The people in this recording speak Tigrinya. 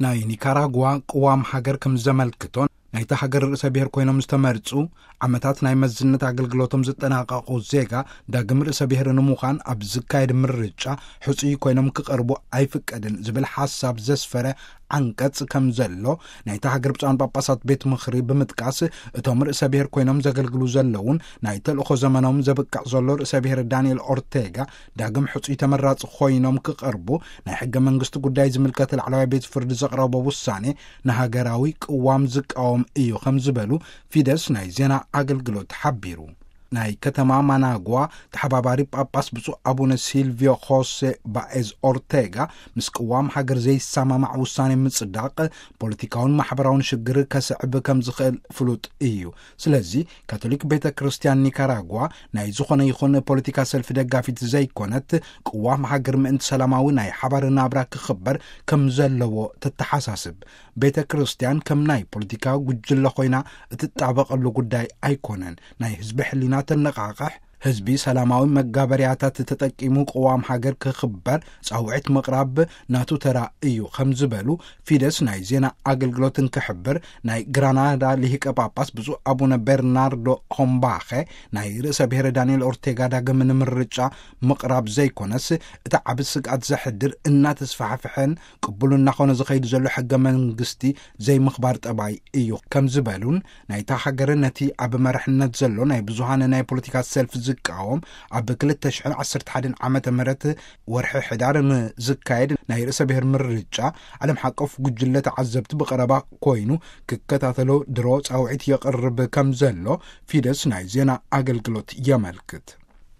ናይ ኒካራጓ ቅዋም ሃገር ከም ዘመልክቶ፣ ናይታ ሃገር ርእሰ ብሔር ኮይኖም ዝተመርጹ፣ ዓመታት ናይ መዝነት ኣገልግሎቶም ዝጠናቐቑ ዜጋ ዳግም ርእሰ ብሔር ንምዃን ኣብ ዝካየድ ምርጫ ሕጹይ ኮይኖም ክቐርቡ ኣይፍቀድን ዝብል ሓሳብ ዘስፈረ ዓንቀጽ ከም ዘሎ ናይታ ሃገር ብፁዓን ጳጳሳት ቤት ምኽሪ ብምጥቃስ፣ እቶም ርእሰ ብሔር ኮይኖም ዘገልግሉ ዘለውን ናይ ተልእኾ ዘመኖም ዘብቅዕ ዘሎ ርእሰ ብሔር ዳንኤል ኦርቴጋ ዳግም ሕጹይ ተመራጺ ኮይኖም ክቐርቡ ናይ ሕገ መንግስቲ ጉዳይ ዝምልከት ላዕለዋይ ቤት ፍርዲ ዘቕረቦ ውሳኔ ንሃገራዊ ቅዋም ዝቃወም እዩ ከም ዝበሉ ፊደስ ናይ ዜና ኣገልግሎት ሓቢሩ። ናይ ከተማ ማናጓ ተሓባባሪ ጳጳስ ብፁዕ ኣቡነ ሲልቪዮ ኾሴ ባኤዝ ኦርቴጋ ምስ ቅዋም ሃገር ዘይሰማማዕ ውሳኔ ምጽዳቕ ፖለቲካውን ማሕበራውን ሽግር ከስዕብ ከም ዝኽእል ፍሉጥ እዩ። ስለዚ ካቶሊክ ቤተ ክርስቲያን ኒካራጓ ናይ ዝኾነ ይኹን ፖለቲካ ሰልፊ ደጋፊት ዘይኮነት፣ ቅዋም ሃገር ምእንቲ ሰላማዊ ናይ ሓባር ናብራ ክኽበር ከም ዘለዎ ተተሓሳስብ። ቤተ ክርስቲያን ከም ናይ ፖለቲካ ጉጅለ ኮይና እትጣበቐሉ ጉዳይ ኣይኮነን። ናይ ህዝቢ ሕሊና ተነቓቕሕ፣ ህዝቢ ሰላማዊ መጋበርያታት ተጠቂሙ ቅዋም ሃገር ክኽበር ጻውዒት ምቕራብ ናቱ ተራ እዩ ከም ዝበሉ ፊደስ ናይ ዜና ኣገልግሎት እንክሕብር፣ ናይ ግራናዳ ሊሂቀ ጳጳስ ብፁዕ ኣቡነ ቤርናርዶ ሆምባኸ ናይ ርእሰ ብሔር ዳንኤል ኦርቴጋ ዳግም ንምርጫ ምቕራብ ዘይኮነስ፣ እቲ ዓቢ ስግኣት ዘሕድር እናተስፋሕፍሐን ቅቡል እናኾነ ዝኸይድ ዘሎ ሕገ መንግስቲ ዘይምኽባር ጠባይ እዩ ከም ዝበሉን፣ ናይታ ሃገር ነቲ ኣብ መርሕነት ዘሎ ናይ ብዙሃን ናይ ፖለቲካ ሰልፍ ዝቃወም ኣብ ክልተ ሽሕን ዓሰርተ ሓደን ዓመተ ምህረት ወርሒ ሕዳር ንዝካየድ ናይ ርእሰ ብሔር ምርጫ ዓለም ሓቆፍ ጉጅለ ተዓዘብቲ ብቐረባ ኮይኑ ክከታተሎ ድሮ ጻውዒት የቕርብ ከም ዘሎ ፊደስ ናይ ዜና ኣገልግሎት የመልክት።